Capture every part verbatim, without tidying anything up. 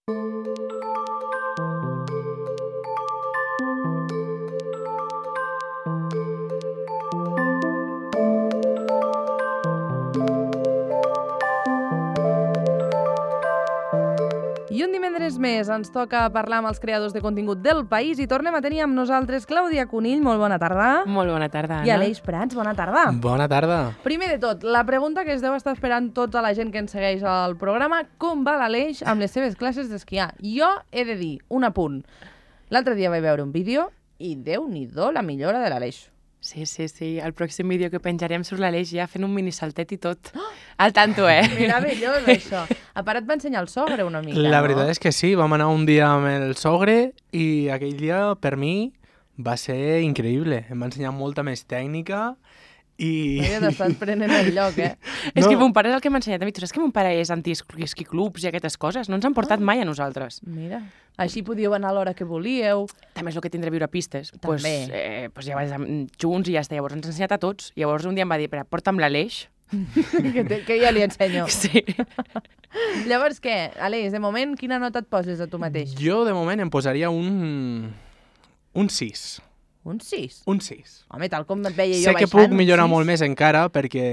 I un divendres més ens toca parlar amb els creadors de contingut del país i tornem a tenir amb nosaltres Clàudia Conill, molt bona tarda. Molt bona tarda, Anna. I Aleix Prats, bona tarda. Bona tarda. Primer de tot, la pregunta que es deu estar esperant tota la gent que ens segueix al programa, com va l'Aleix amb les seves classes d'esquiar? Jo he de dir un apunt. L'altre dia vaig veure un vídeo i Déu-n'hi-do la millora de l'Aleix. Sí, sí, sí. El pròxim vídeo que penjarem surt l'Aleix ja fent un minisaltet i tot. Al tanto, eh? Meravellós, això. A part et va ensenyar el sogre una mica, La no? veritat és que sí, vam anar un dia amb el sogre i aquell dia, per mi, va ser increïble. Em va ensenyar molta més tècnica i... No, ja t'estàs prenent el lloc, eh? És No. que mon pare és el que m'ha ensenyat a mi. Tu saps que mon pare és anti-esquiclubs i aquestes coses? No ens han portat mai a nosaltres. Mira, així podíeu anar a l'hora que volíeu. També és el que tindré viure a pistes. Pues, També. eh, pues ja vaig junts i ja està. Llavors ens ha ensenyat a tots. Llavors un dia em va dir, espera, porta'm l'Aleix. que, te, que ja li ensenyo. Sí. Llavors, què? Aleix, de moment, quina nota et poses a tu mateix? Jo, de moment, em posaria un... un sis. Un sis? Un sis. Home, tal com et veia jo Sé que baixant, puc millorar un sis. molt més encara perquè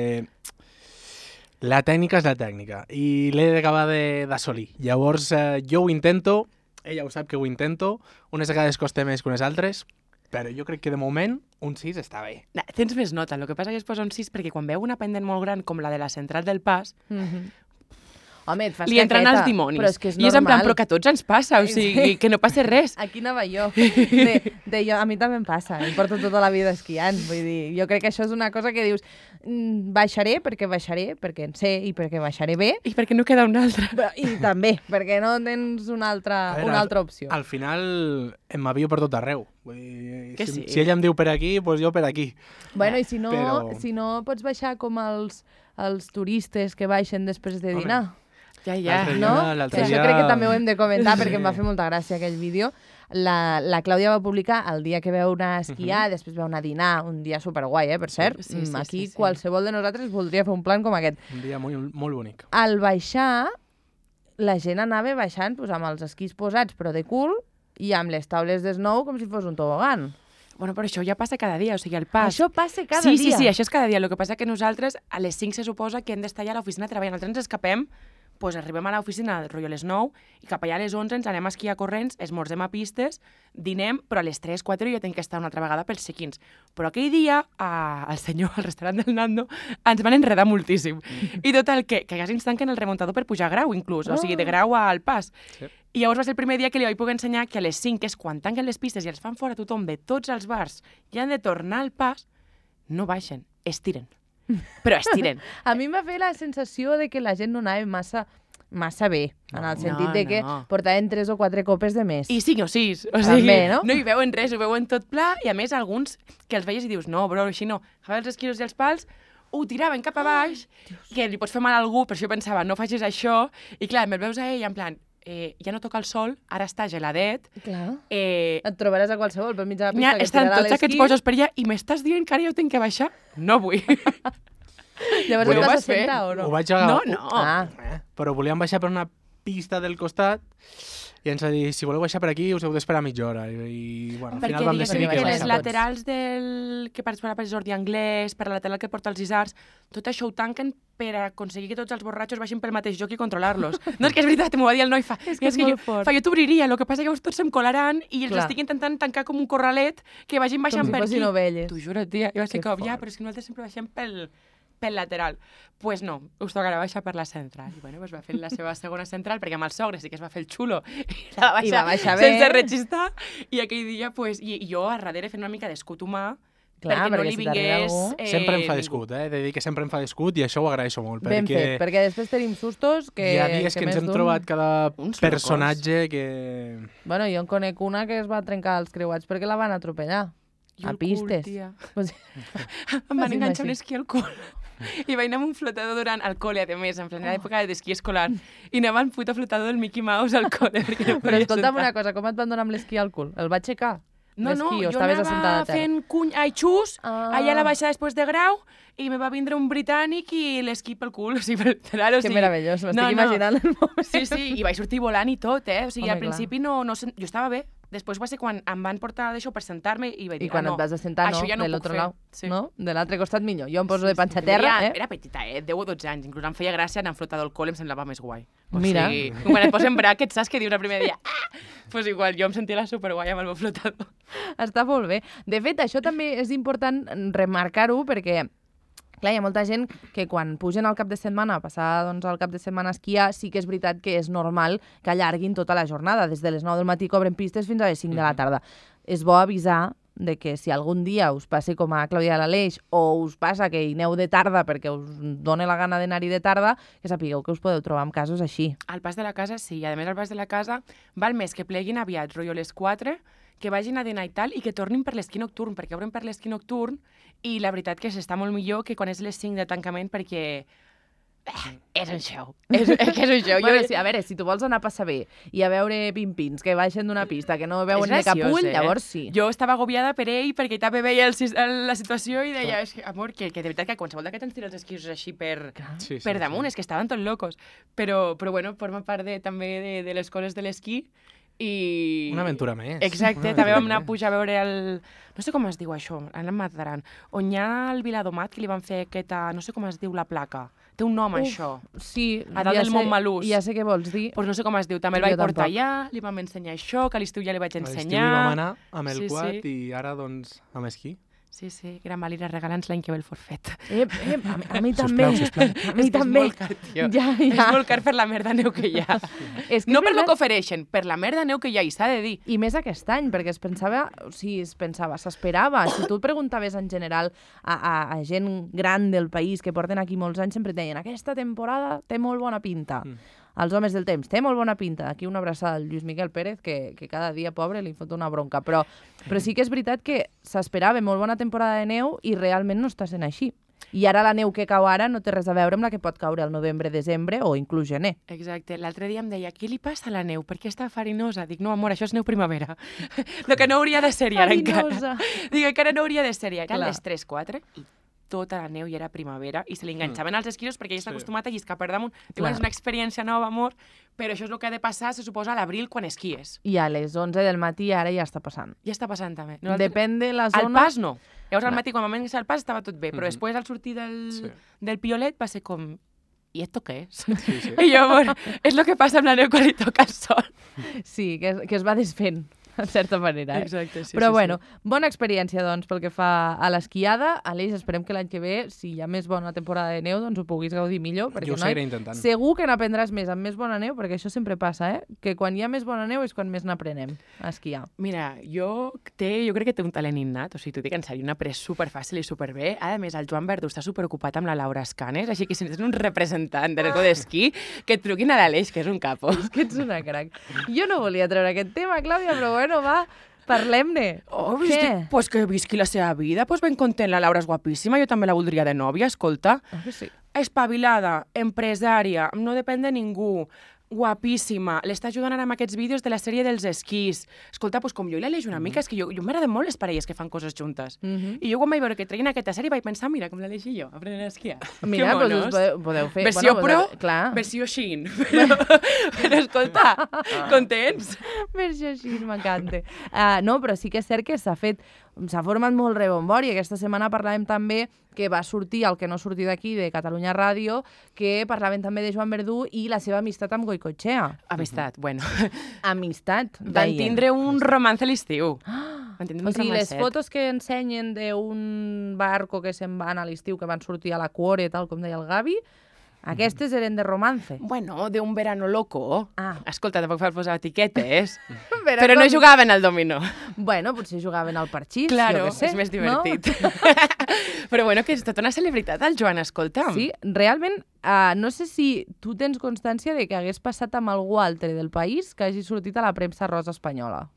la tècnica és la tècnica i l'he d'acabar de- d'assolir. Llavors, eh, jo ho intento, ella ho sap que ho intento, unes vegades costa més que unes altres, però jo crec que de moment un sis està bé. Na, tens més nota. El que passa que es posa un sis perquè quan veu una pendent molt gran com la de la central del pas, Mhm. Home, et fas li entren caqueta, els dimonis. Però és que és I és en plan, normal. però que a tots ens passa, o sigui, que no passa res. Aquí anava jo. De, de jo. A mi també em passa. Em porto tota la vida esquiant. Vull dir, jo crec que això és una cosa que dius mm, baixaré perquè baixaré, perquè en sé i perquè baixaré bé. I perquè no queda una altra. Però, I també, perquè no tens una altra, A veure, una al- altra opció. Al final em m'avio per tot arreu. Vull dir, Que si, sí. si ella em diu per aquí, doncs jo per aquí. Bueno, i si no, Però- si no pots baixar com els, els turistes que baixen després de Home, dinar. Ja, ja. L'altre No? dia- l'altre Que això dia- crec que també ho hem de comentar perquè em va Sí. fer molta gràcia aquell vídeo. La, la Clàudia va publicar el dia que veu anar a esquiar, després veu anar a dinar, un dia superguai, eh, per cert. Sí, sí, Mm, Aquí sí, sí. qualsevol de nosaltres voldria fer un plan com aquest. Un dia molt, molt bonic. Al baixar, la gent anava baixant pues, amb els esquís posats, però de cul, i amb les taules d'esnou com si fos un tobogan. Bueno, però això ja passa cada dia, o sigui, el pas... Això passa cada sí, dia. Sí, sí, això és cada dia. El que passa que nosaltres a les cinc se suposa que hem d'estar allà a l'oficina treballant. Nosaltres ens escapem, doncs arribem a l'oficina rotllo a les nou i cap allà a les onze ens anem a esquiar corrents, esmorzem a pistes, dinem, però a les tres, quatre jo tinc que estar una altra vegada pels check-ins. Però aquell dia, a, el senyor, al restaurant del Nando, ens van enredar moltíssim. I total, que, que quasi ens tanquen el remuntador per pujar a grau, inclús. O sigui, de grau al pas. Sí. I llavors va ser el primer dia que li vaig poder ensenyar que a les cinc, que és quan tanquen les pistes i els fan fora tothom de tots els bars i han de tornar al pas, no baixen, estiren. Però estiren. A mi m'ha fet la sensació de que la gent no anava massa, massa bé, en el No, sentit de que no. portaven tres o quatre copes de més. I cinc o sis. O sigui, També, no? no hi veuen res, ho veuen tot pla, i a més alguns que els veies i dius, no, bro, així no. Agafen els esquiros i els pals, ho tiraven cap a baix, que li pots fer mal a algú, per això jo pensava, no facis això, i clar, me'l veus a ell en plan, eh, ja no toca el sol, ara està geladet, Clar. eh, Et trobaràs a qualsevol per mig de la n'hi ha, pista que estan tirarà tots aquests l'esquí. bojos per allà, i m'estàs dient que ara jo tinc que baixar? No vull. Llavors Ho et vas vas fer? assentar o no? Ho vaig agafar, No, no. Ah, Eh? Però volíem baixar per una pista del costat i ens va dir, si voleu baixar per aquí us heu d'esperar mitja hora. I, i bueno, al Perquè final vam diguéssim decidir perquè que que les baixar baixàvem. tots. laterals del... que parts per per Jordi Anglès, per la lateral que porta els isars, tot això ho tanquen per aconseguir que tots els borratxos baixin pel mateix joc i controlar-los. No, és que és veritat, m'ho va dir el noi, fa... És que és jo, molt fort. fa, jo t'obriria, el que passa que llavors tots se'm colaran i els Clar. estic intentant tancar com un corralet que vagin baixant com si per aquí. fossin ovelles. T'ho juro, tia. Jo vaig ser Que com, ja, fort. però és que nosaltres sempre baixem pel, pel lateral. Doncs pues no, us tocarà baixar per la central. I bueno, pues va fer la seva segona central, perquè amb el sogre sí que es va fer el xulo i la va I baixar, va baixar bé. sense rechistar. I aquell dia, pues, i, i jo a darrere fent una mica d'escut humà, Clar, perquè no perquè li si t'arriba vingués... algú- Eh, Sempre em fa ningú. d'escut, eh? He de dir que sempre em fa d'escut i això ho agraeixo molt. Ben perquè fet, perquè després tenim sustos que... hi ha dies que, que ens més hem d'un- trobat cada Uns personatge que... Bueno, jo en conec una que es va trencar els creuats perquè la van atropellar. Jo A el cul, pistes. tia. Pues, Em van Quasi enganxar un així. esquí al cul. I vaig anar amb un flotador durant el col·le, a més, en plena època d'esquí escolar. I anava amb puto flotador del Mickey Mouse al col·le. Perquè no però podia escolta'm sentar. una cosa, com et van donar amb l'esquí al cul? El va aixecar? No, no, d'esquí, o jo estaves anava assentada a terra? fent cuny... Ai, xus, Ah. allà a la baixada després de grau, i me va vindre un britànic i l'esquí pel cul, o sigui, literal, o Que sigui... meravellós, m'estic no, no. imaginant el moment. Sí, sí, i vaig sortir volant i tot, eh? O sigui, Home, al principi no, no... sen- Jo estava bé. Després va ser quan em van portar d'això per sentar-me i vaig dir, I quan ah, no, et vas assentar, no, això ja no de puc l'altre fer. lau, Sí. no? De l'altre costat millor. Jo em poso de panxa a Era- terra, eh? Era petita, eh? deu o dotze anys. Inclús em feia gràcia anar flotador al col·le, em semblava més guai. O Mira. sigui, quan et posen bràquets, saps què dius el primer dia? Ah! Pues igual, jo em sentia la superguai amb el meu flotador. Està molt bé. De fet, això també és important remarcar-ho perquè clar, hi ha molta gent que quan pugen al cap de setmana, a passar doncs, el cap de setmana a esquiar, sí que és veritat que és normal que allarguin tota la jornada. Des de les nou del matí cobren pistes fins a les cinc de la tarda. És bo avisar de que si algun dia us passi com a Clàudia de l'Aleix o us passa que hi aneu de tarda perquè us dona la gana d'anar-hi de tarda, que sapigueu que us podeu trobar amb casos així. Al pas de la casa, sí. I a més, al pas de la casa val més que pleguin aviat, rotllo a les quatre, que vagin a dinar i tal, i que tornin per l'esquí nocturn, perquè obren per l'esquí nocturn, i la veritat que s'està molt millor que quan és les cinc de tancament, perquè eh, és un show. És, és que és un show. Bueno, jo... sí, a veure, si tu vols anar a passar bé i a veure pimpins que baixen d'una pista que no veuen És de cap graciós, ull, eh? llavors sí. Jo estava agobiada per ell perquè també veia el, sis- el, la situació i deia, és que, amor, que, que de veritat que qualsevol d'aquests ens tira els esquís així per, Sí, sí, per sí. damunt, és que estaven tots locos. Però, però bueno, forma part de, també de, de les coses de l'esquí i... Una aventura més. Exacte, Una també aventura vam anar a més. pujar a veure el... No sé com es diu això, ara em mataran. On hi ha el Viladomat, que li van fer aquesta... No sé com es diu la placa. Té un nom, Uf, això. Sí, A dalt ja del sé- Montmelús. Ja sé què vols dir. Pues no sé com es diu. També el Jo vaig portar tampoc. allà, li vam ensenyar això, que a l'estiu ja li vaig A l'estiu ensenyar. hi vam anar amb el Sí, quad sí. i ara, doncs, amb esquí. Sí, sí, Gran Valira, regala'ns l'any que ve el forfet. Ep, ep, a, mi- a mi també. sisplau. A mi És que també. És molt car, tio. Ja, ja. És molt car per la merda neu que hi ha. És que No és per lo veritat. que ofereixen, per la merda neu que hi ha, i s'ha de dir. I més aquest any, perquè es pensava, o sigui, es pensava, s'esperava. Si tu preguntaves en general a, a, a gent gran del país que porten aquí molts anys, sempre et deien aquesta temporada té molt bona pinta. Mm. Els homes del temps, té molt bona pinta. Aquí una abraçada al Lluís Miquel Pérez, que, que cada dia, pobre, li fot una bronca. Però, però sí que és veritat que s'esperava molt bona temporada de neu i realment no està sent així. I ara la neu que cau ara no té res a veure amb la que pot caure al novembre, desembre o inclús gener. Exacte. L'altre dia em deia, què li passa a la neu? Per què està farinosa? Dic, no, amor, això és neu primavera. Lo que no hauria de ser ara Farinosa. encara. Dic, encara no hauria de ser Eren Clar. les tres quatre i tota la neu ja era primavera i se li enganxaven als esquiros perquè ell està Sí. acostumat a lliscar per damunt. Clar. Diuen, és una experiència nova, amor, però això és el que ha de passar, se suposa, a l'abril quan esquies. I a les onze del matí ara ja està passant. Ja està passant també. Depèn de la Al zona... pas no. Llavors al No. matí, quan vam iniciar el pas, estava tot bé, però Mhm. després al sortir del, Sí. del piolet va ser com... I esto què és? Sí, sí. I jo, amor, és el que passa amb la neu quan li toca el sol. Sí, que es, que es va desfent, en certa manera. Eh? Exacte, sí, Però sí, bueno, bona experiència, doncs, pel que fa a l'esquiada. Aleix, esperem que l'any que ve, si hi ha més bona temporada de neu, doncs ho puguis gaudir millor. Perquè Jo ho noi, seguiré intentant. segur que n'aprendràs més amb més bona neu, perquè això sempre passa, eh? Que quan hi ha més bona neu és quan més n'aprenem a esquiar. Mira, jo, té, jo crec que té un talent innat, o sigui, t'ho dic en sèrio, una après superfàcil i superbé. A més, el Joan Verdú està superocupat amb la Laura Escanes, així que si tens un representant de l'Eco d'Esquí, que et truquin a l'Aleix, que és un capo. És que ets una crac. Jo no volia treure aquest tema, Clàudia, però bueno, va, parlem-ne. Oh, Què? Què? Pues que visqui la seva vida, pues ben content, la Laura és guapíssima, jo també la voldria de nòvia, escolta. Ah, que sí. Espavilada, empresària, no depèn de ningú, guapíssima, l'està ajudant ara amb aquests vídeos de la sèrie dels esquís. Escolta, doncs com jo i l'Aleix una mica, és que jo, jo m'agraden molt les parelles que fan coses juntes. Mhm. I jo quan vaig veure que treien aquesta sèrie vaig pensar, mira, com l'Aleix i jo, aprenent a esquiar. Mira, Que doncs monos. us podeu, podeu fer... Versió bueno, pro, podeu- clar. versió xin. Però, però escolta, contents? Versió així, m'encanta. Uh, no, però sí que és cert que s'ha fet, s'ha format molt rebombori. Aquesta setmana parlàvem també que va sortir el que no sortir d'aquí, de Catalunya Ràdio, que parlaven també de Joan Verdú i la seva amistat amb Goicoechea. Amistat, bueno. Amistat, Van deien. tindre un romance a l'estiu. Van tindre O un sigui, les romancet. fotos que ensenyen d'un barco que se'n van a l'estiu, que van sortir a la Cuore, tal com deia el Gavi, aquestes eren de romance. Bueno, de un verano loco. Ah. Escolta, tampoc cal posar etiquetes. Però però no com- jugaven al dominó. Bueno, potser jugaven al parxís, Claro, jo què sé. és més no? divertit. Però bueno, que és tota una celebritat, el Joan, escolta'm. Sí, realment, uh, no sé si tu tens constància de que hagués passat amb algú altre del país que hagi sortit a la premsa rosa espanyola.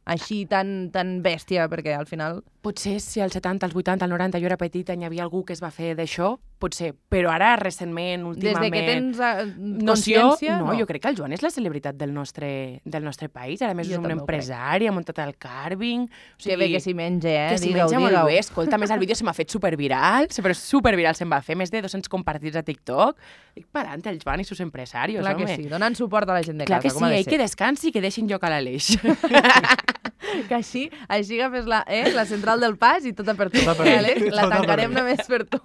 Així, tan, tan bèstia, perquè al final... Potser si als setanta, als vuitanta, al noranta jo era petita i hi havia algú que es va fer d'això, potser, però ara recentment, últimament... Des de que tens uh, noció, consciència, no, no. jo crec que el Joan és la celebritat del nostre, del nostre país. Ara més Jo és un també ho empresari, ha muntat el carving... O Que bé que s'hi menja, eh? Que s'hi Digue-ho, menja molt digue-ho. bé. Escolta, a més el vídeo se m'ha fet superviral, però superviral se'n va fer, més de dos-cents compartits a TikTok. Dic, parant, el Joan i sus empresarios, Clar home. que sí, donant suport a la gent de Clar casa, que com sí, ha de ell que ser. descansi i que deixin lloc a l'Aleix. Que així, així agafes la, eh, la central del pas i tota per tu. Tota per Eh, mi. Àlex? La Tota per tancarem mi. només per tu.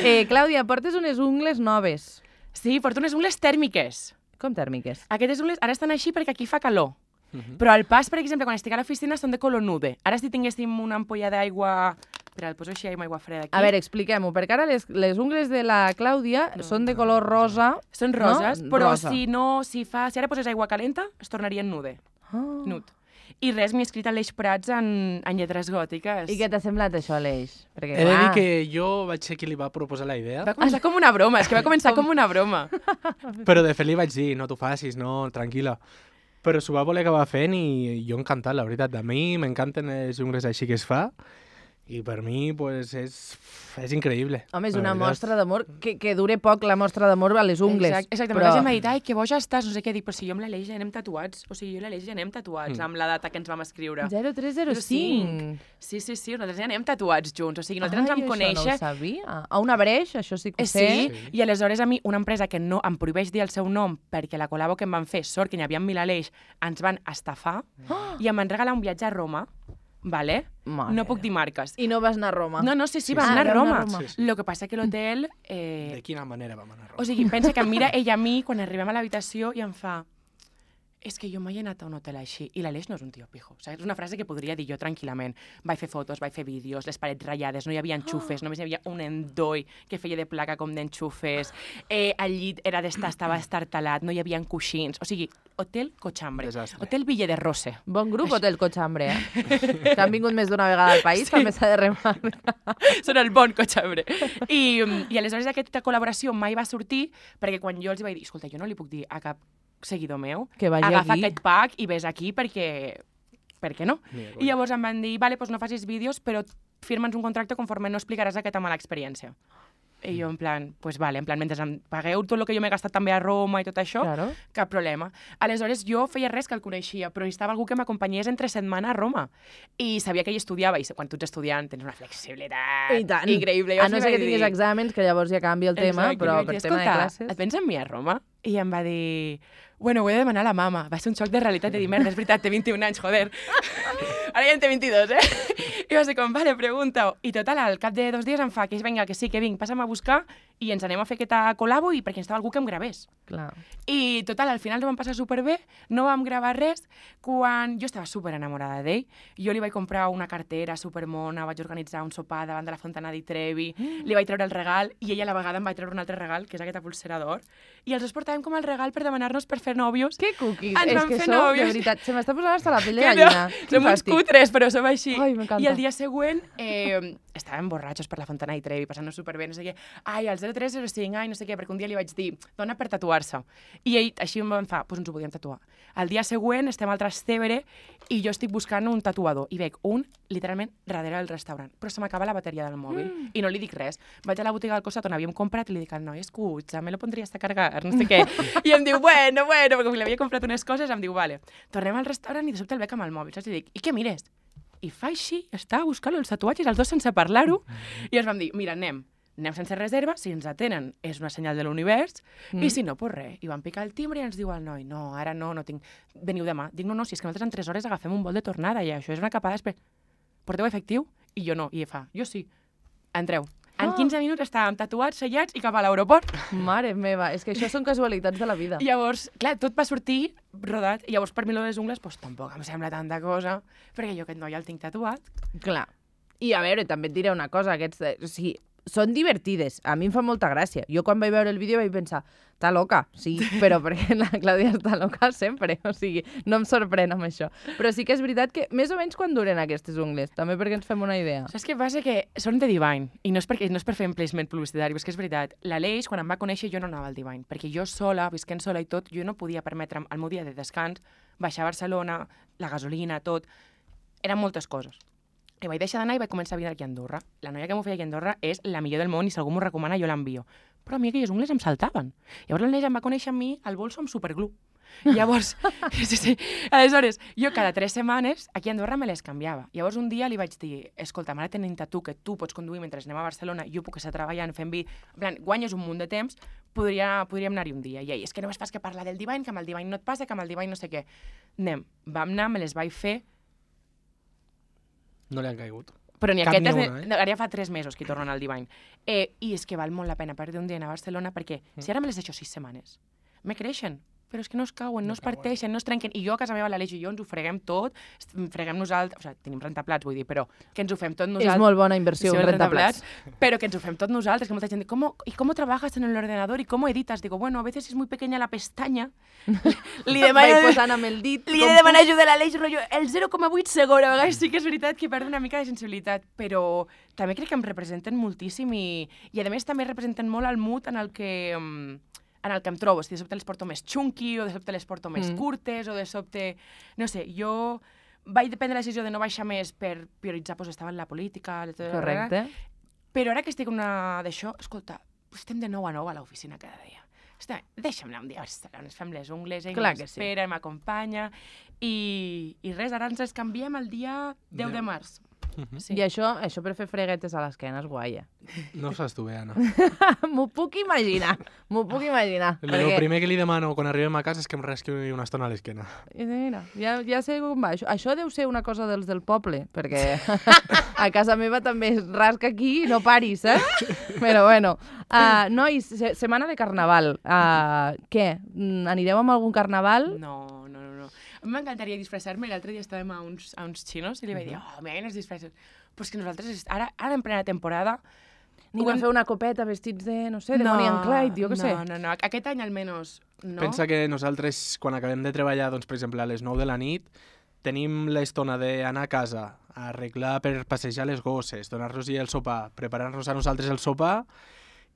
Eh, Clàudia, portes unes ungles noves. Sí, porto unes ungles tèrmiques. Com tèrmiques? Aquestes ungles ara estan així perquè aquí fa calor. Però al pas, per exemple, quan estic a l'oficina són de color nude. Ara si tinguéssim una ampolla d'aigua... Espera, el poso així amb aigua freda aquí. A veure, expliquem-ho, perquè ara les, les ungles de la Clàudia no, són de color rosa. Són roses, no? però Rosa. si no, si fa, si ara poses aigua calenta, es tornarien nude. Oh. Nut. I res, m'he escrit Aleix Prats en, en lletres gòtiques. I què t'ha semblat això, Aleix? Perquè, He de dir clar, que jo vaig ser qui li va proposar la idea, Va començar com una broma, és que va començar com una broma. però de fet li vaig dir, no t'ho facis, no, tranquil·la. Però s'ho va voler acabar fent i jo encantat, la veritat. A mi m'encanten les ungles així que es fa i per mi pues, és, és increïble. Home, és la una veritat. mostra d'amor, que, que dure poc la mostra d'amor a les ungles. Exacte, exacte. però... Però... m'ha dit, ai, que boja estàs, no sé què, dic, però si jo amb l'Aleix ja anem tatuats. O sigui, jo i l'Aleix ja anem tatuats Mm. amb la data que ens vam escriure. zero tres zero cinc. Sí, sí, sí, nosaltres ja anem tatuats junts. O sigui, nosaltres Ai, ens vam això conèixer... no ho sabia. A una breix, això sí que Eh, ho sé. sí, Sí. i aleshores a mi una empresa que no em prohibeix dir el seu nom perquè la col·labo que em van fer, sort que n'hi havia amb Milaleix, ens van estafar Oh! i em van regalar un viatge a Roma, vale? Mare. No puc dir marques. I no vas anar a Roma. No, no, sí, sí, Sí, vam sí. anar Ah, a vau Roma. anar a Roma. Sí, sí. Lo que passa que l'hotel... Eh, De quina manera vam anar a Roma? o sigui, pensa que em mira ella a mi quan arribem a l'habitació i em fa... És que jo mai he anat a un hotel així. I l'Aleix no és un tio pijo. Saps? És una frase que podria dir jo tranquil·lament. Vaig fer fotos, vaig fer vídeos, les parets ratllades, no hi havia enxufes, només hi havia un endoi que feia de placa com d'enxufes. Eh, el llit era d'estar, estava estartalat, no hi havia coixins. O sigui, hotel cochambre. Desastre. Hotel Ville de Rose. Bon grup, Hotel Cochambre, eh? Que han vingut més d'una vegada al país, Sí. també s'ha de remarcar. Són el bon cochambre. I, I aleshores aquesta col·laboració mai va sortir perquè quan jo els vaig dir, escolta, jo no li puc dir a cap seguidor meu, Que vagi agafa aquí. aquest pack i vés aquí perquè... Per què no? Ni de I conya. llavors em van dir, vale, doncs no facis vídeos, però firma'ns un contracte conforme no explicaràs aquesta mala experiència. I jo en plan, pues vale, en plan, mentre em pagueu tot el que jo m'he gastat també a Roma i tot això, Claro. cap problema. Aleshores, jo feia res que el coneixia, però necessitava algú que m'acompanyés entre setmana a Roma. I sabia que ell estudiava, i quan tu ets estudiant tens una flexibilitat I tant. increïble. A no ser que tinguis exàmens, que llavors ja canvia el tema, Exacte, però i vaig per dir, tema de "Escolta, classes... et vens amb mi a Roma?" I em va dir, bueno, ho he de demanar a la mama. Va ser un xoc de realitat de dir, merda, és veritat, té vint-i-un anys, joder. Ara ja en té vint-i-dos, eh? I va ser com, vale, pregunta-ho. I total, al cap de dos dies em fa que vinga, que sí, que vinc, passa'm a buscar i ens anem a fer aquesta col·labo i perquè necessitava algú que em gravés. Clar. I total, al final ho vam passar superbé, no vam gravar res, quan jo estava super enamorada d'ell. Jo li vaig comprar una cartera supermona, vaig organitzar un sopar davant de la Fontana di Trevi, li vaig treure el regal i ella a la vegada em va treure un altre regal, que és aquesta pulsera d'or, i els dos portàvem com el regal per demanar-nos per fer nòvios. Que cookies, Ens és vam que fer sou, de nòvios. veritat, se m'està posant hasta la pell de Que gallina. no, Quin som uns fàstic. cutres, però som així. Ai, m'encanta. I el dia següent eh, estàvem borratxos per la Fontana di Trevi, passant-nos superbé, no sé què. Ai, el zero tres zero cinc, ai, no sé què, perquè un dia li vaig dir, dona per tatuar-se. I ell així em va fa, doncs ens ho podíem tatuar. El dia següent estem al Trastevere i jo estic buscant un tatuador i veig un, literalment, darrere del restaurant. Però se m'acaba la bateria del mòbil mm. i no li dic res. Vaig a la botiga del costat on havíem comprat i li dic al noi, escucha, me lo pondries a cargar, no sé què. I em diu, bueno, bueno, perquè com li havia comprat unes coses, em diu, vale. Tornem al restaurant i de sobte el veig amb el mòbil, saps? I dic, i què mires? I fa així, estava buscant els tatuatges, els dos sense parlar-ho, i ens vam dir, mira, anem, anem sense reserva, si ens atenen és una senyal de l'univers, mm. i si no, pues res. I vam picar el timbre i ens diu el noi, no, ara no, no tinc... Veniu demà. Dic, no, no, si és que nosaltres en tres hores agafem un vol de tornada i això és una capada després. Porteu efectiu? I jo no. I ell fa, jo sí. Entreu. En Ah. quinze minuts estàvem tatuats, sellats i cap a l'aeroport. Mare meva, és que això són casualitats de la vida. I llavors, clar, tot va sortir rodat. I llavors, per mi, lo de les ungles, pues, tampoc em sembla tanta cosa, perquè jo aquest noi el tinc tatuat. Clar. I a veure, també et diré una cosa, aquests... eh, O sigui, són divertides. A mi em fa molta gràcia. Jo quan vaig veure el vídeo vaig pensar, està loca, sí, però perquè la Clàudia està loca sempre. O sigui, no em sorprèn amb això. Però sí que és veritat que més o menys quan duren aquestes ungles, també perquè ens fem una idea. Saps què passa? Que són de Divine, i no és, perquè, no és per fer un placement publicitari, és que és veritat. L'Aleix, quan em va conèixer, jo no anava al Divine, perquè jo sola, visquent sola i tot, jo no podia permetre'm, al meu dia de descans, baixar a Barcelona, la gasolina, tot... Eren moltes coses. I vaig deixar d'anar i vaig començar a vindre aquí a Andorra. La noia que m'ho feia aquí a Andorra és la millor del món i si algú m'ho recomana jo l'envio. Però a mi aquelles ungles em saltaven. Llavors l'Aneix em va conèixer a mi al bolso amb superglue. Llavors, sí, sí. Aleshores, jo cada tres setmanes aquí a Andorra me les canviava. Llavors un dia li vaig dir, escolta, ara tenint a tu que tu pots conduir mentre anem a Barcelona, jo puc estar treballant fent vi, en plan, guanyes un munt de temps, podria, podríem anar-hi un dia. I ell, és que només fas que parlar del Divine, que amb el Divine no et passa, que amb el Divine no sé què. Anem, vam anar, me les vaig fer. No li han caigut. Però ni Cap aquestes, ni una, eh? ara ja fa tres mesos que tornen al Divine. Eh, I és que val molt la pena perdre un dia a Barcelona perquè si ara me les deixo sis setmanes, me creixen, però és que no es cauen, no, no es parteixen, no es trenquen. I jo a casa meva, l'Aleix i jo, ens ho freguem tot, freguem nosaltres, o sigui, tenim rentaplats, vull dir, però que ens ho fem tot nosaltres. És molt bona inversió, sí, un rentaplats. Pero que ens ho fem tot nosaltres, que molta gent diu, ¿cómo, ¿y cómo trabajas en el ordenador? ¿Y cómo editas? Digo, bueno, a veces es muy pequeña la pestaña. li demano, Vaig posant amb el dit. li he de demanar ajuda a l'Aleix, rotllo, el zero coma vuit segon, a vegades sí que és veritat que perd una mica de sensibilitat, però també crec que em representen moltíssim i, i a més també representen molt el mood en el que... Um, en el que em trobo, si de sobte les porto més xunqui, o de sobte les porto més mm. curtes, o de sobte... No sé, jo vaig prendre la decisió de no baixar més per prioritzar, doncs estava en la política... Correcte. Però ara que estic una d'això, escolta, estem de nou a nou a l'oficina cada dia. Estem, deixa'm anar un dia a Barcelona, ens fem les ungles, ell m'espera, sí. m'acompanya, i, i res, ara ens les canviem el dia deu de març. Uh-huh. Sí. I això, això per fer freguetes a l'esquena és guai, eh? No ho saps tu bé, Anna. M'ho puc imaginar, m'ho puc imaginar. El perquè... primer que li demano quan arribem a casa és que em rasqui una estona a l'esquena. I mira, ja, ja sé com va. Això, això deu ser una cosa dels del poble, perquè a casa meva també es rasca aquí i no paris, eh? Però bueno. Uh, nois, se setmana de carnaval. Uh, què? Anireu amb algun carnaval? No, no, no. no. A mi m'encantaria disfressar-me. L'altre dia estàvem a uns, a uns xinos i li vaig dir, oh, mira, quines disfresses. Però és que nosaltres, ara, ara en plena temporada... Ni vam fer una copeta vestits de, no sé, de no, Bonnie and Clyde, jo què no, sé. No, no, no. Aquest any almenys no. Pensa que nosaltres, quan acabem de treballar, doncs, per exemple, a les nou de la nit, tenim l'estona d'anar a casa, a arreglar per passejar les gosses, donar-los el sopar, preparar-nos a nosaltres el sopar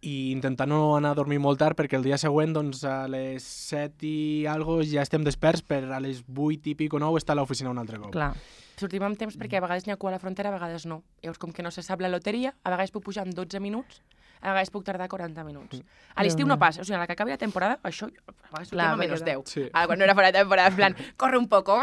i intentar no anar a dormir molt tard perquè el dia següent, doncs, a les set i algo ja estem desperts per a les vuit i pic o nou estar a l'oficina un altre cop. Clar. Sortim amb temps perquè a vegades n'hi ha cua a la frontera, a vegades no. Llavors, com que no se sap la loteria, a vegades puc pujar en dotze minuts, a vegades puc tardar quaranta minuts. A l'estiu no passa, o sigui, a la que acabi la temporada, això, a vegades sortim a menys deu. Sí. Ara, quan no era fora de temporada, en plan, corre un poco.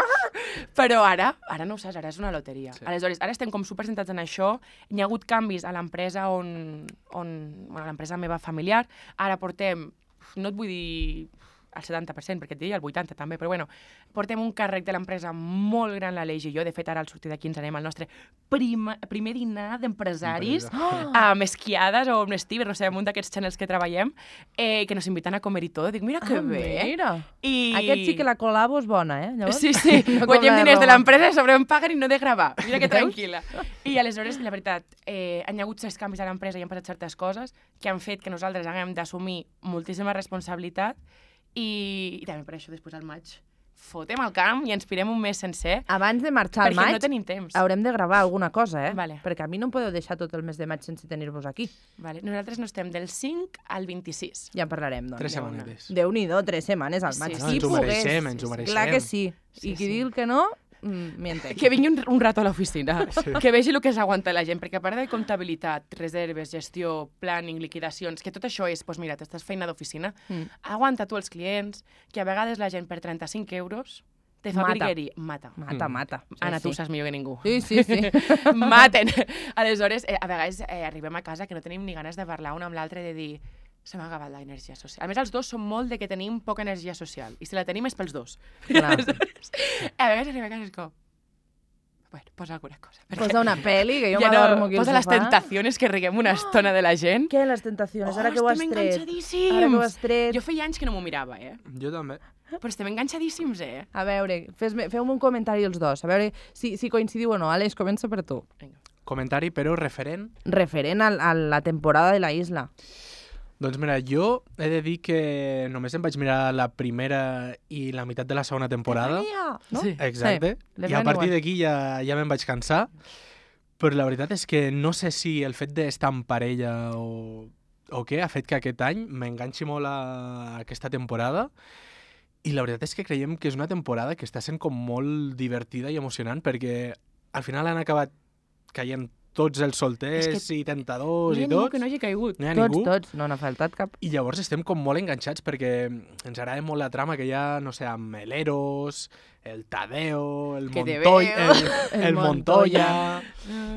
Però ara, ara no ho saps, ara és una loteria. Sí. Aleshores, ara estem com super centrats en això. Hi ha hagut canvis a l'empresa on, on bueno, l'empresa meva familiar. Ara portem, no et vull dir al setanta per cent, perquè et diria el vuitanta també, però bueno, portem un càrrec de l'empresa molt gran, l'Aleix i jo. De fet, ara al sortir d'aquí ens anem al nostre prima, primer dinar d'empresaris, oh! amb esquiades o amb Stever, no sé, amb un d'aquests channels que treballem, eh, que nos inviten a comer i tot. Dic, mira que ah, bé. Mira. I... Aquest sí que la col·labo és bona, eh? Llavors, sí, sí. No guanyem diners de l'empresa i sobre em paguen i no de gravar. Mira que tranquil·la. I aleshores, la veritat, eh, han hi hagut certs canvis a l'empresa i han passat certes coses que han fet que nosaltres haguem d'assumir moltíssima responsabilitat. I, i també per això després al maig fotem al camp i ens pirem un mes sencer. Abans de marxar al maig perquè no tenim temps. Haurem de gravar alguna cosa, eh? Vale. Perquè a mi no em podeu deixar tot el mes de maig sense tenir-vos aquí. Vale. Nosaltres no estem del cinc al vint-i-sis. Ja en parlarem, doncs. Tres setmanes. Déu-n'hi-do, tres setmanes al maig. Sí, no, sí, ens ho pogués. mereixem, ens ho mereixem. Clar que sí. sí I qui sí. diu que no, mm, miente. Que vingui un, un rato a l'oficina, sí. que vegi el que s'aguanta la gent, perquè a part de comptabilitat, reserves, gestió, planning, liquidacions, que tot això és, doncs mira, t'estàs feina d'oficina, mm. aguanta tu els clients, que a vegades la gent per trenta-cinc euros te fa virgueria. Mata. Mata, mata. Sí, Anna, sí. tu saps millor que ningú. Sí, sí, sí. Maten. Aleshores, eh, a vegades eh, arribem a casa que no tenim ni ganes de parlar un amb l'altre de dir se m'ha acabat l'energia social. A més, els dos som molt de que tenim poca energia social. I si la tenim és pels dos. Aleshores, a vegades arribem a casa és com... Bueno, posa alguna cosa. Posa una peli, que jo ja m'adormo no, aquí al posa sofà. les tentacions, que riguem una estona de la gent. Què, les tentacions? Ara oh, que ho has estem tret. enganxadíssims! Ara que ho has tret. Jo feia anys que no m'ho mirava, eh? Jo també. Però estem enganxadíssims, eh? A veure, feu-me un comentari els dos, a veure si, si coincidiu o no. Aleix, comença per tu. Vinga. Comentari, però referent. Referent a, a la temporada de la isla. Doncs mira, jo he de dir que només em vaig mirar la primera i la meitat de la segona temporada. No? Sí. Exacte. Sí, I a partir d'aquí ja, ja me'n vaig cansar. Però la veritat és que no sé si el fet d'estar en parella o, o què ha fet que aquest any m'enganxi molt a aquesta temporada. I la veritat és que creiem que és una temporada que està sent com molt divertida i emocionant perquè al final han acabat caient tots els solters És que i tentadors No hi i ha ningú tots. que no hagi caigut. No hi ha Tots, ningú. tots, no n'ha faltat cap. I llavors estem com molt enganxats perquè ens agrada molt la trama que hi ha, no sé, amb el Eros, el Tadeo, el Que te Montoya, veo. el, El el Montoya...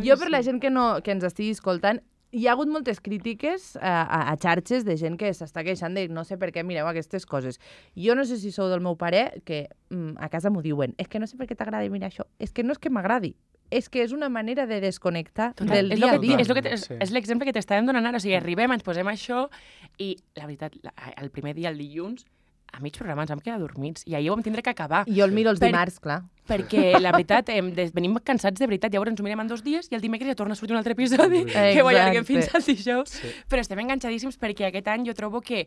Jo, per la gent que, no, que ens estigui escoltant, hi ha hagut moltes crítiques a, a, a xarxes de gent que s'està queixant de no sé per què mireu aquestes coses. Jo no sé si sou del meu pare, que mm, a casa m'ho diuen, és que no sé per què t'agrada mirar això. És que no és que m'agradi, és que és una manera de desconnectar Total, del és dia lo a que, dia. és, lo que te, Sí. és l'exemple que t'estàvem donant ara. O sigui, arribem, ens posem això i, la veritat, la, el primer dia, el dilluns, a mig programa ens vam quedar dormits i ahir ho vam tindre que acabar. Jo el miro els Per- dimarts, clar. Perquè, la veritat, em, des, venim cansats de veritat. Llavors ens ho mirem en dos dies i el dimecres ja torna a sortir un altre episodi que ho allarguem fins al dijous. Sí. Però estem enganxadíssims perquè aquest any jo trobo que...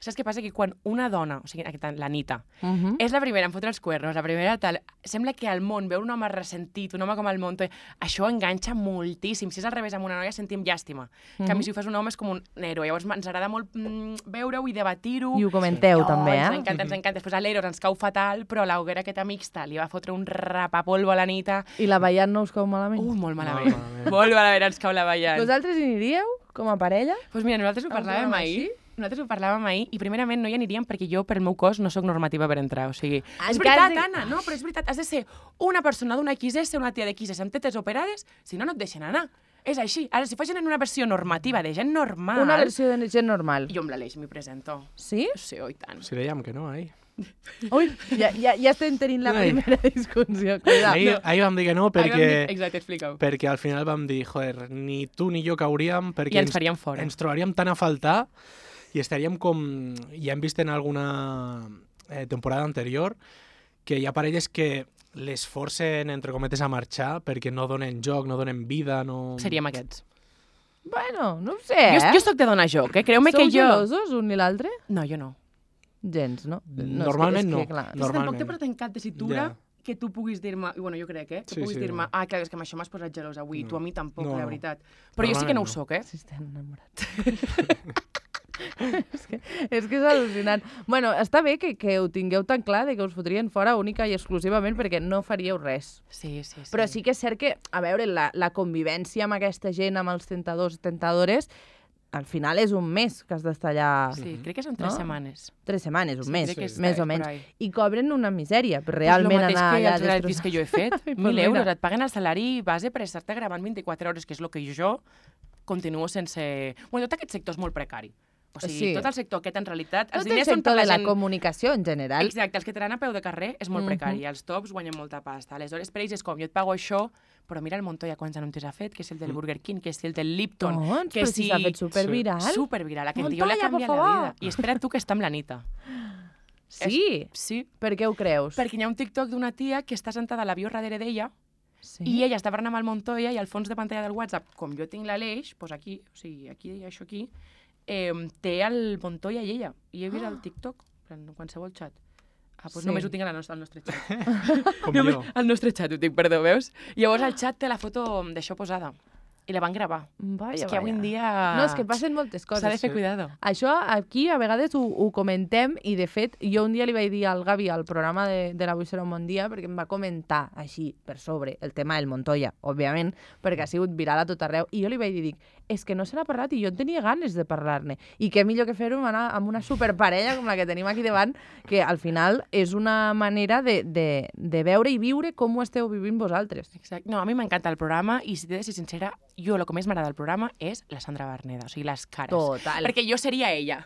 Saps què passa? Que quan una dona, o sigui, aquest any, la Nita, Uh -huh. és la primera en fotre els cuernos, la primera tal... Sembla que al món veure un home ressentit, un home com el Montoya, això enganxa moltíssim. Si és al revés, amb una noia sentim llàstima. En canvi, si ho fas un home és com un héroe. Llavors ens agrada molt mm, veure-ho i debatir-ho. I ho comenteu, Oh, també, Ens eh? encanta, ens encanta. Després a l'Eros ens cau fatal, però a l'hoguera aquesta mixta li va fotre un rapapolvo a la Nita. I la ballant no us cau malament? Uh, molt malament. Molt malament. Molt malament ens cau la ballant. Vosaltres hi aniríeu, com a parella? Doncs pues mira, nosaltres ho A un parlàvem programa ahir. així? Nosaltres ho parlàvem ahir i primerament no hi aniríem perquè jo, per el meu cos, no sóc normativa per entrar. O sigui, és Encara veritat, de- Anna, no, però és veritat, has de ser una persona d'una X S, una tia de X S amb tetes operades, si no, no et deixen anar. És així. Ara, si facin en una versió normativa de gent normal... Una versió de gent normal. Jo amb l'Aleix m'hi presento. Sí? Sí, oi tant. Si dèiem que no, ahir. Ui, ja, ja, ja estem tenint la Ai. primera discussió. Cuidado. Ahir, ahir vam dir que no Ahir vam perquè, dir- Exacte, explica-ho. perquè al final vam dir, joder, ni tu ni jo cauríem perquè I ens faríem fora. ens trobaríem tan a faltar i estaríem com... Ja hem vist en alguna eh, temporada anterior que hi ha parelles que les forcen, entre cometes, a marxar perquè no donen joc, no donen vida, no... Seríem aquests. Bueno, no ho sé, eh? Jo, jo soc de donar joc, eh? Creu-me Sou que jo... gelosos un i l'altre? No, jo no. Gens, no? no Normalment és que, no. és que, clar, No. Tampoc Normalment. té per tant cap tessitura Ja. que tu puguis dir-me, i bueno, jo crec, eh? Que Sí, puguis sí, dir-me, no. ah, clar, és que amb això m'has posat gelós avui, No. tu a mi tampoc, No, la no. veritat. Però jo sí que no ho Normalment soc, eh? Si estem enamorats. és, que, és que és al·lucinant. Bueno, està bé que, que ho tingueu tan clar de que us fotrien fora única i exclusivament perquè no faríeu res. Sí, sí, sí. Però sí que és cert que, a veure, la, la convivència amb aquesta gent, amb els tentadors i tentadores, al final és un mes que has d'estar allà... Sí, crec que són tres No? setmanes. Tres setmanes, un Sí, mes, crec que és- més o és menys. por ahí. I cobren una misèria, però Pues realment lo mateix anar que allà els realities que jo he fet. Ai, pues Mil mira. euros, et paguen el salari base per estar-te gravant vint-i-quatre hores, que és el que jo continuo sense... Bueno, tot aquest sector és molt precari. O sigui, Sí. tot el sector aquest, en realitat, els Tot el diners són per sector la de la gent... comunicació en general. Exacte, els que tenen a peu de carrer és molt Mhm. precari. Els tops guanyen molta pasta. Aleshores, per ells és com, jo et pago això, però mira el Montoya quants anuncis ha fet, que és el del Burger King, que és el del Lipton, Doncs, que però si s'ha fet superviral. Superviral, aquest tio li ha Montoya, por canviat la favor. vida. I espera tu que està amb la Nita. Sí? Sí, Per què ho creus? perquè hi ha un TikTok d'una tia que està sentada a l'avió darrere d'ella Sí? i ella està parlant amb el Montoya i al fons de pantalla del WhatsApp, com jo tinc l'Aleix, doncs aquí, o sigui, aquí, això aquí, eh, té el Montoya i ella. I he vist el TikTok, en qualsevol xat. Ah, doncs Sí. només ho tinc al nostre, al nostre xat. Com Només jo. al nostre xat ho tinc, perdó, veus? Llavors el xat té la foto d'això posada. I la van gravar. Vaja, és que avui en vaja. dia... No, és que passen moltes coses. S'ha de fer Sí. cuidado. Això aquí a vegades ho, ho comentem i de fet jo un dia li vaig dir al Gavi al programa de, de l'Avui serà un bon dia perquè em va comentar així per sobre el tema del Montoya, òbviament, perquè ha sigut viral a tot arreu i jo li vaig dir, dic, és que no se n'ha parlat i jo en tenia ganes de parlar-ne i què millor que fer-ho amb una, amb una superparella com la que tenim aquí davant, que al final és una manera de, de, de veure i viure com ho esteu vivint vosaltres. Exacte. No, a mi m'encanta el programa i si t'he de ser sincera, jo el que més m'agrada del programa és la Sandra Berneda, o sigui, les cares. Total. Perquè jo seria ella.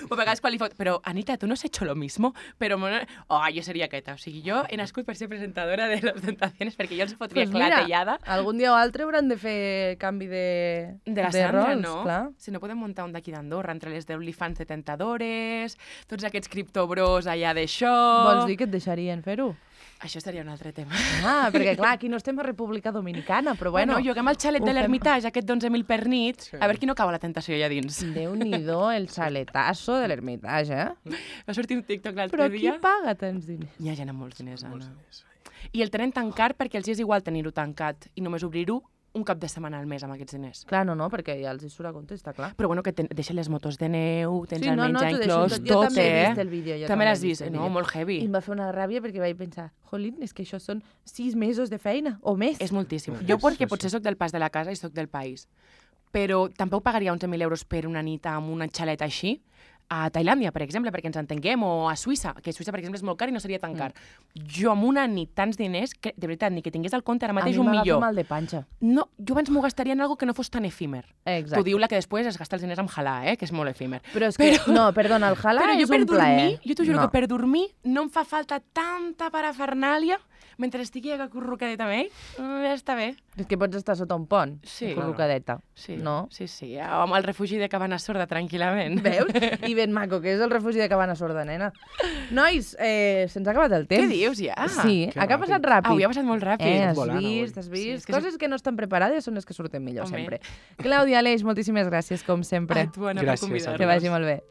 O a vegades quan li fot... Però, Anita, tu no has hecho lo mismo? Però, oh, jo seria aquesta. O sigui, jo he nascut per ser presentadora de Los Tentaciones perquè jo els fotria Pues mira, clatellada. algun dia o altre hauran de fer canvi de, De la Sandra, rols, no? clar. Si no podem muntar un d'aquí d'Andorra, entre les d'OnlyFans de tentadores, tots aquests criptobros allà d'això... Vols dir que et deixarien fer-ho? Això seria un altre tema. Ah, perquè clar, aquí no estem a República Dominicana, però bueno... Bueno, juguem al xalet ho de fem. l'Ermitage, aquest d'onze mil per nit, Sí. a veure qui no cau a la tentació allà dins. Déu-n'hi-do, el xaletazo de l'Ermitage, eh? Va sortir un TikTok l'altre Però qui dia. paga tants diners? Hi ha gent amb molts diners, Molts Anna. diners. I el tenen tan car perquè els hi és igual tenir-ho tancat i només obrir-ho un cap de setmana al mes amb aquests diners. Clar, no, no, perquè ja els hi surt a compte, està clar. Però bueno, que ten, deixen les motos de neu, tens Sí, el no, no, menjar t'ho deixo inclòs, tot. Jo tot, també he eh? vist el vídeo, jo També també he l'has vist vist, el no? vídeo. Molt heavy. I em va fer una ràbia perquè vaig pensar, jolín, és que això són sis mesos de feina, o més. És moltíssim. Sí, Jo sí, perquè sí. potser sóc del pas de la casa i sóc del país, però tampoc pagaria onze mil euros per una nit amb una xaleta així, a Tailàndia, per exemple, perquè ens entenguem, o a Suïssa, que a Suïssa, per exemple, és molt car i no seria tan car. Mm. Jo amb una nit tants diners, que, de veritat, ni que tingués al compte ara mateix un A mi m'agafa millor. mal de panxa. No, jo abans m'ho gastaria en algo que no fos tan efímer. Exacte. T'ho diu la que després es gasta els diners amb halà, eh? Que és molt efímer. Però és que, no, perdona, el halà Però jo és per un plaer. dormir, jo t'ho juro no. que per dormir no em fa falta tanta parafernàlia mentre estigui acurrucadeta amb ell, mm, ja està bé. És que pots estar sota un pont, Sí. acurrucadeta. Sí, No? sí, sí, amb el refugi de Cabana Sorda, tranquil·lament. Veus? I ben maco, que és el refugi de Cabana Sorda, nena. Nois, eh, se'ns ha acabat el temps. Què dius, ja? Sí, Que ha ràpid. passat ràpid. Avui ha passat molt ràpid. Eh, has Volant, avui. vist, has Sí, vist. és que Coses que no estan preparades són les que surten millor, Home. sempre. Clàudia, Aleix, moltíssimes gràcies, com sempre. A tu, Anna, Gràcies, per convidar-nos. Que vagi molt bé.